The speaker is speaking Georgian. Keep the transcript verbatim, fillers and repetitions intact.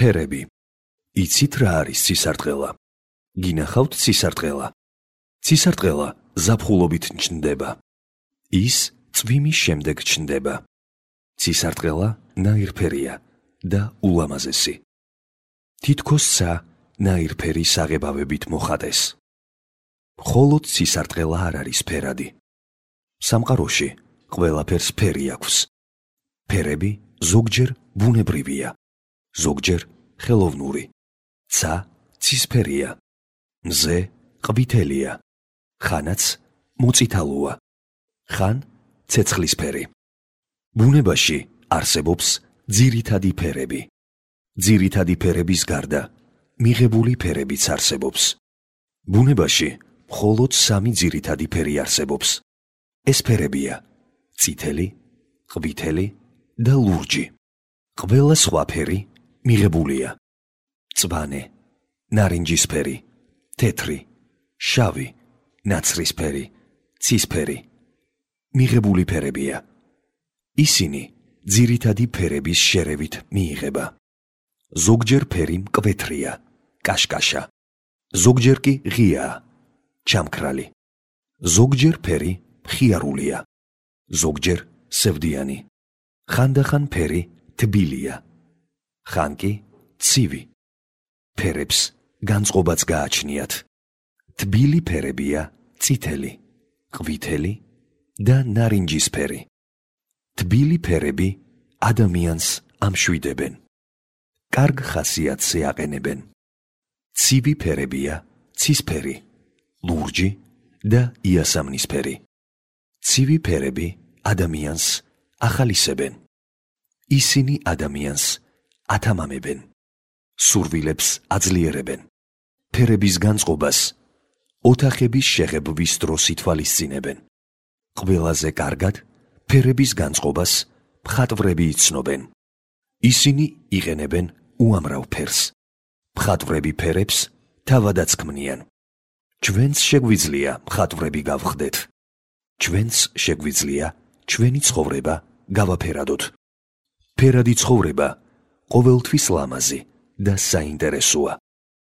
ფერები. იცით რა არის ცისარტყელა? გინახავთ ცისარტყელა? ცისარტყელა ზაფხულობით ჩნდება. ის წვიმის შემდეგ ჩნდება. ცისარტყელა ნაირფერია და ულამაზესი. თითქოსცა ნაირფერი საღებავებით მოხატეს. მხოლოდ ცისარტყელა არ არის ფერადი. სამყაროში ყველაფერს ფერი აქვს. ფერები ზოგჯერ ბუნებრივია, ზოგჯერ ხელოვნური. ცა ცისფერია, მზე ყვითელია, ხანაც მოწითალოა, ხან ცეცხლისფერი. ბუნებაში არსებობს ძირითადი ფერები. ძირითადი ფერების გარდა მიღებული ფერებიც არსებობს. ბუნებაში მხოლოდ სამი ძირითადი ფერი არსებობს. ეს ფერებია წითელი, ყვითელი და ლურჯი. ყველა სხვა ფერი მიღებულია. წვანე, ნარინჯისფერი, თეთრი, შავი, ნაცრისფერი, ცისფერი. მიღებული ფერებია. ისინი ძირითადი ფერების შერევით მიიღება. ზოგჯერ ფერი მკვეთრია, კაშკაშა, ზოგჯერ კი ღიაა, ჩამქრალი. ზოგჯერ ფერი მხიარულია, ზოგჯერ სევდიანი. ხანდახან ფერი თბილია, ხან კი ცივი. ფერებს განწყობაც გააჩნიათ. თბილი ფერებია წითელი, ყვითელი და ნარინჯისფერი. თბილი ფერები ადამიანს ამშვიდებენ. კარგ ხასიათზე აყენებენ. ცივი ფერებია ცისფერი, ლურჯი და იასამნისფერი. ცივი ფერები ადამიანს ახალისებენ. ისინი ადამიანს ათამამებენ. სურვილებს აძლიერებენ. ფერების განწყობას ოთახების შეღებვის დროს ითვალისწინებენ. ყველაზე კარგად ფერების განწყობას მხატვრები იცნობენ. ისინი იყენებენ უამრავ ფერს. მხატვრები ფერებს თავადაც ქმნიან. ჩვენც შეგვიძლია მხატვრები გავხდეთ. ჩვენც შეგვიძლია ჩვენი ცხოვრება გავაფერადოთ. ფერადი ცხოვრება ყოველთვის ლამაზი და საინტერესოა.